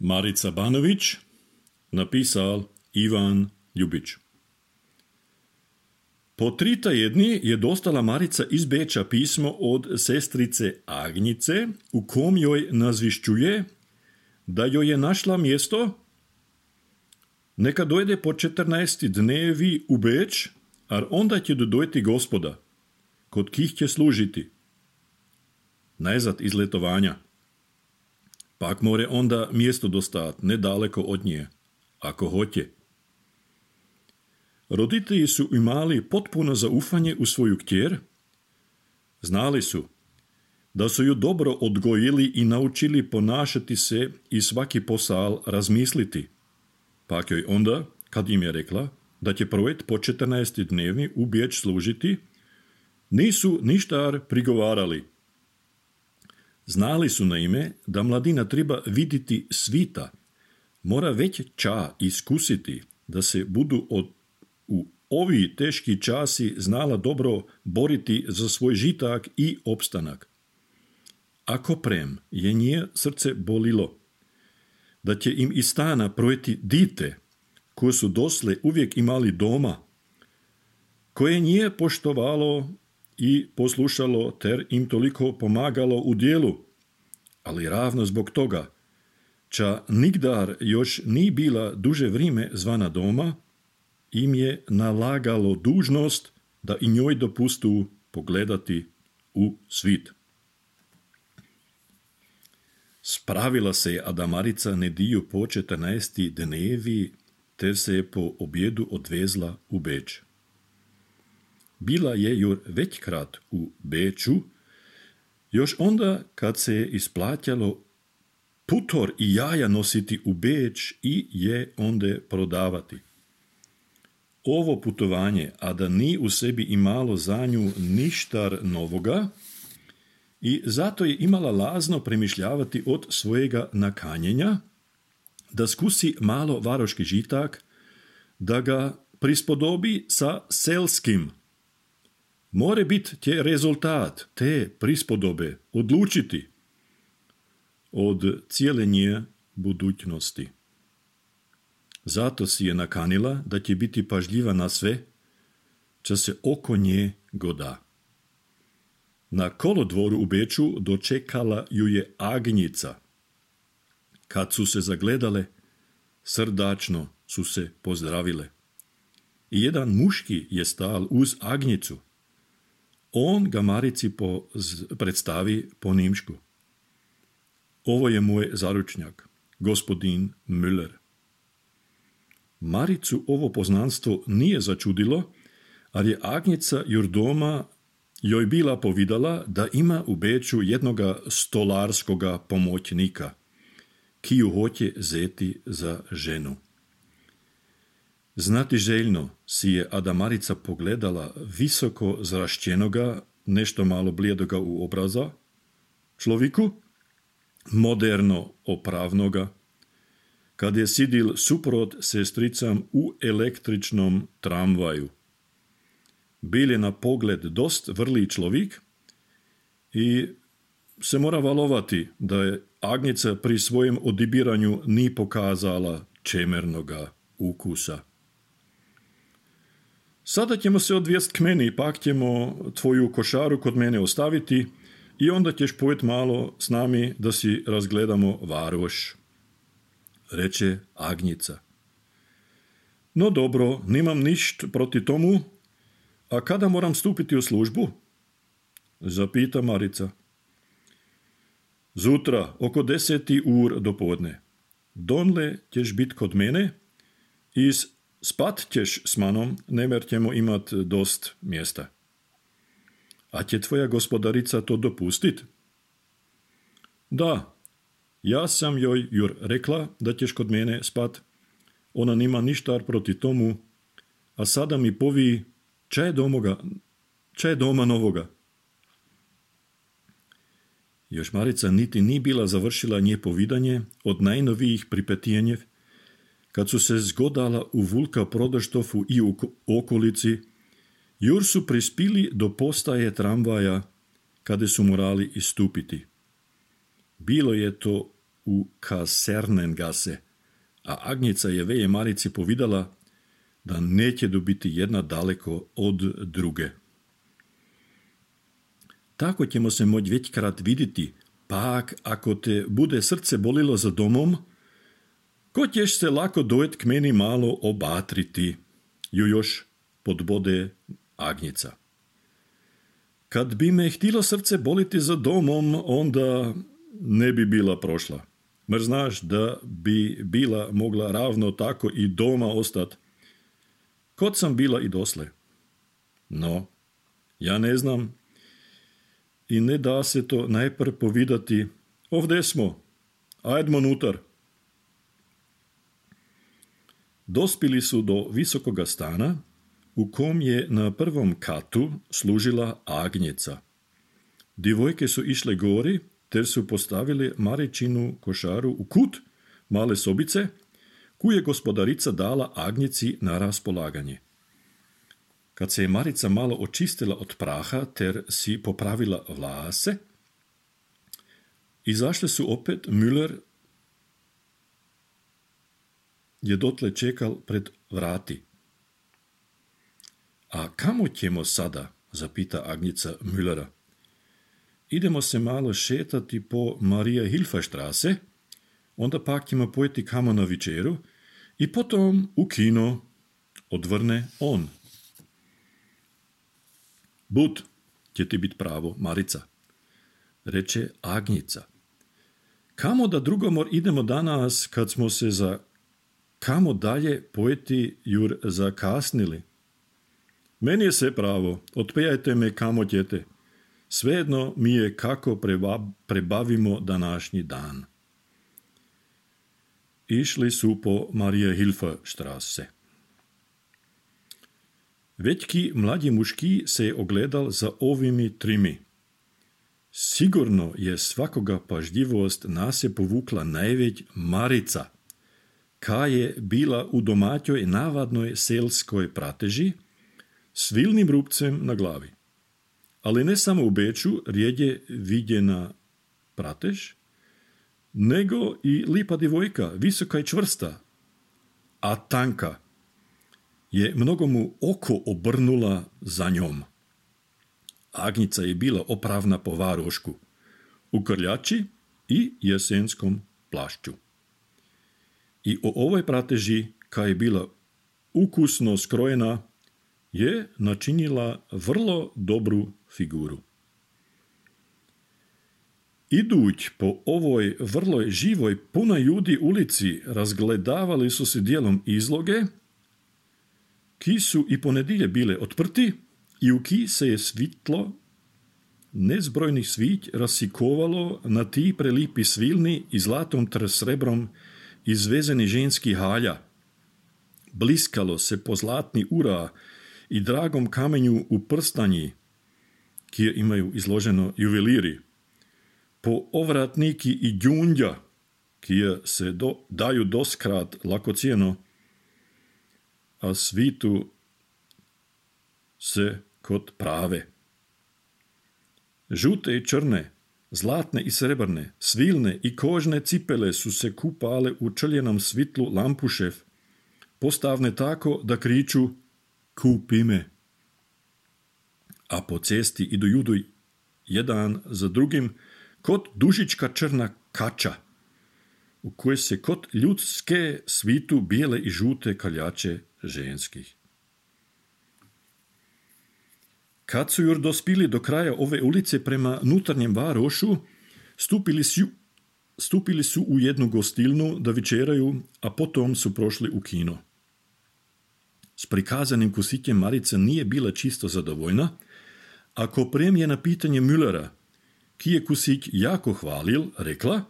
Marica Banović, napisal Ivan Ljubić. Po 3 tjedni je dostala Marica iz Beča pismo od sestrice Agnice, u kom joj nazvišćuje da joj je našla mjesto, neka dojde po 14 dnevi u Beč, a onda će dojti gospoda, kod kih će služiti. Najzad iz letovanja. Pak more onda mjesto dostat, nedaleko od nje, ako hoće. Roditelji su imali potpuno zaufanje u svoju kćer. Znali su da su ju dobro odgojili i naučili ponašati se i svaki posal razmisliti. Pak joj onda, kad im je rekla da će projekt po 14 dnevi u Beč služiti, nisu ništa prigovarali. Znali su naime da mladina treba vidjeti svita, mora već ča iskusiti, da se budu u ovi teški časi znala dobro boriti za svoj žitak i opstanak. Ako prem je nje srce bolilo, da će im iz stana projeti dite, koje su dosle uvijek imali doma, koje nije poštovalo i poslušalo ter im toliko pomagalo u dijelu, ali ravno zbog toga, ča nigdar još ni bila duže vrime zvana doma, im je nalagalo dužnost da i njoj dopustu pogledati u svit. Spravila se Ada Marica nediju po 14 dnevi, ter se je po objedu odvezla u Beč. Bila je jur većkrat u Beču, još onda kad se je isplatjalo putor i jaja nositi u Beč i je onda prodavati. Ovo putovanje, a da ni u sebi imalo za nju ništar novoga, i zato je imala lazno premišljavati od svojega nakanjenja, da skusi malo varoški žitak, da ga prispodobi sa selskim. More biti tje rezultat te prispodobe odlučiti od cijele nje budućnosti. Zato si je nakanila da će biti pažljiva na sve, čo se oko nje goda. Na kolodvoru u Beču dočekala ju je Agnica. Kad su se zagledale, srdačno su se pozdravile. I jedan muški je stal uz Agnicu. On ga Marici predstavi po nimšku. Ovo je moj zaručnjak, gospodin Müller. Maricu ovo poznanstvo nije začudilo, ali je Agnica jur doma joj bila povidala da ima u Beču jednoga stolarskoga pomoćnika, ki ju hoće zeti za ženu. Znati željno si je Ada Marica pogledala visoko zrašćenoga, nešto malo blijedoga u obraza, človeku, moderno opravnoga, kad je sidil suprot sestricam u električnom tramvaju. Bil je na pogled dost vrli človek i se mora valovati, da je Agnica pri svojem odibiranju ni pokazala čemernoga ukusa. Sada ćemo se odvijest k meni, pak ćemo tvoju košaru kod mene ostaviti i onda ćeš pojet malo s nami da si razgledamo varoš, reče Agnica. No dobro, nimam ništ proti tomu, a kada moram stupiti u službu? Zapita Marica. Zutra, oko 10 ur do podne. Donle ćeš bit kod mene i spat ćeš s manom, nemer ćemo imat dost mjesta. A će tvoja gospodarica to dopustit? Da, ja sam joj jur rekla da ćeš kod mene spat. Ona nima ništar proti tomu, a sada mi povi ča je doma novoga. Još Marica niti ni bila završila nje povidanje od najnovijih pripetijenjev, kad su se zgodala u Vulka Prodaštofu i u okolici, jur su prispili do postaje tramvaja, kada su morali istupiti. Bilo je to u Kasernengasse, a Agnica je veje Marici povidala da neće dobiti jedna daleko od druge. Tako ćemo se moći većkrat vidjeti, pak ako te bude srce bolilo za domom, ko ćeš se lako dojet k meni malo obatriti, ju još podbode Agnica. Kad bi me htilo srce boliti za domom, onda ne bi bila prošla. Mer znaš da bi bila mogla ravno tako i doma ostat, kod sam bila i dosle. No, ja ne znam i ne da se to najpr povidati. Ovdje smo, ajdmo nutar. Dospili su do visokoga stana, u kom je na prvom katu služila Agnica. Divojke su išle gori, ter su postavili Maričinu košaru u kut male sobice, koju je gospodarica dala Agnici na raspolaganje. Kad se je Marica malo očistila od praha, ter si popravila vlase, izašle su opet. Müller je dotle čekal pred vrati. A kamo ćemo sada, zapita Agnica Müllera. Idemo se malo šetati po Maria Hilferstrasse, onda pak ćemo pojeti kamo na večeru i potom u kino, odvrne on. Bud, će ti bit pravo, Marica, reče Agnica. Kamo da drugomor idemo danas, kad smo se za kamo dalje pojeti jur zakasnili? Meni je sve pravo, otpejajte me kamo ćete. Svejedno mi je kako prebavimo današnji dan. Išli su po Maria Hilferstrasse. Većki mlađi muški se je ogledal za ovimi trimi. Sigurno je svakoga pažljivost nas je povukla najveć Marica, ka je bila u domaćoj navadnoj selskoj prateži, s vilnim rupcem na glavi. Ali ne samo u Beču rijeđe vidjena pratež, nego i lipa divojka, visoka i čvrsta, a tanka, je mnogomu oko obrnula za njom. Agnica je bila opravna po varošku, u krljači i jesenskom plašću. I o ovoj prateži, ka je bila ukusno skrojena, je načinila vrlo dobru figuru. Iduć po ovoj vrlo živoj, punoj ljudi ulici, razgledavali su se dijelom izloge, ki su i ponedilje bile otprti i u ki se je svitlo nezbrojnih svić rasikovalo na ti prelipi svilni i zlatom srebrom izvezeni ženski halja. Bliskalo se po zlatni ura i dragom kamenju u prstanji, kje imaju izloženo juveliri, po ovratniki i đundja, kje se daju doskrat lakocijeno, a svitu se kod prave. Žute i črne, zlatne i srebrne, svilne i kožne cipele su se kupale u črljenom svitlu lampušev, postavne tako da kriču kupi me. A po cesti idu judu jedan za drugim kod dužička črna kača, u kojoj se kod ljudske svitu bijele i žute kaljače ženskih. Kad su jur dospili do kraja ove ulice prema nutarnjem varošu, stupili su u jednu gostilnu da večeraju, a potom su prošli u kino. S prikazanim kusićem Marica nije bila čisto zadovoljna, ako premije na pitanje Müllera, ki je kusić jako hvalil, rekla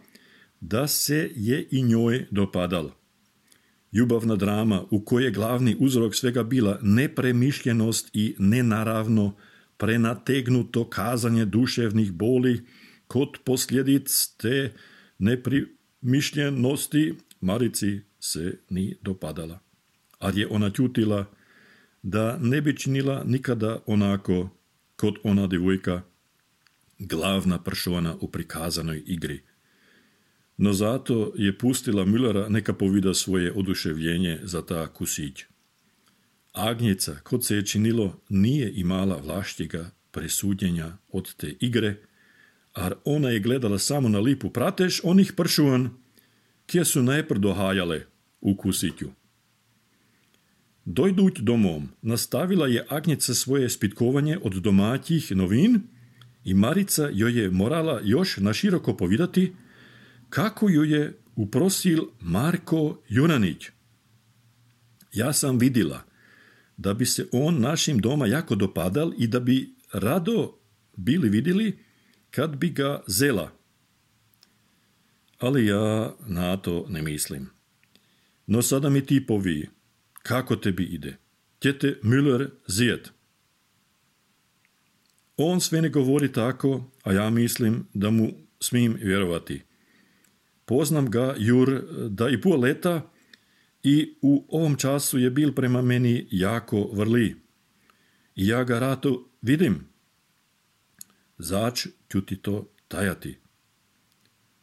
da se je i njoj dopadal. Ljubavna drama, u kojoj je glavni uzrok svega bila nepremišljenost i nenaravno prenategnuto kazanje duševnih boli, kod posljedic te nepremišljenosti Marici se ni dopadala. A je ona čutila da ne bi činila nikada onako kod ona devojka, glavna persona u prikazanoj igri. no zato je pustila Müllera neka povida svoje oduševljenje za ta kusić. Agnjeca, kod se je činilo, nije imala vlaštjega presudnjenja od te igre, ar ona je gledala samo na lipu pratež onih pršuvan, kje su najpr dohajale u kusiću. Dojduć domom, nastavila je Agnjeca svoje spitkovanje od domaćih novin i Marica joj je morala još naširoko povidati kako ju je uprosil Marko Junanić. Ja sam vidila da bi se on našim doma jako dopadal i da bi rado bili vidjeli kad bi ga zela. Ali ja na to ne mislim. No sada mi ti povi, kako tebi ide? Tjete Müller zijet. On sve ne govori tako, a ja mislim da mu smijem vjerovati. Poznam ga, Jur, da i pol leta i u ovom času je bil prema meni jako vrli. I ja ga rado vidim. Zač ću ti to tajati.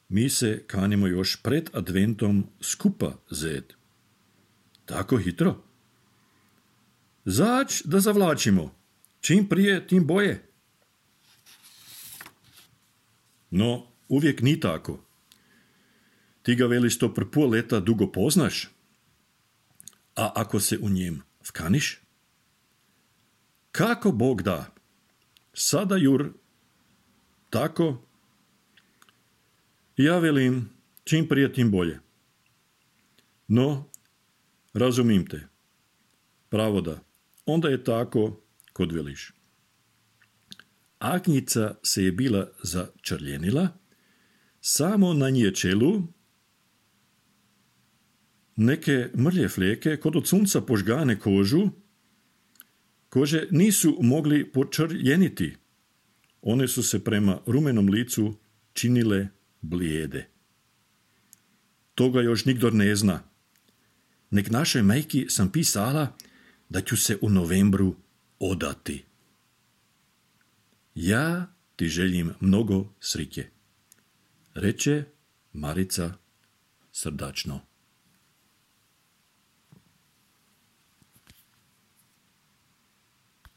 Mi se kanimo još pred adventom skupa zet. Tako hitro? Zač da zavlačimo. Čim prije, tim boje. No, uvijek ni tako. Ti ga veliš to pr pol leta dugo poznaš? A ako se u njem vkaniš? Kako Bog da? Sada, Jur, tako? Ja velim, čim prije tim bolje. No, razumim te. Pravo da. Onda je tako, kod veliš. Agnjica se je bila začrljenila, samo na nje čelu neke mrlje fleke kod od sunca požgane kože nisu mogli počrljeniti. One su se prema rumenom licu činile blijede. Toga još nikdor ne zna. Nek našoj majki sam pisala da ću se u novembru odati. Ja ti želim mnogo sriće, reče Marica srdačno.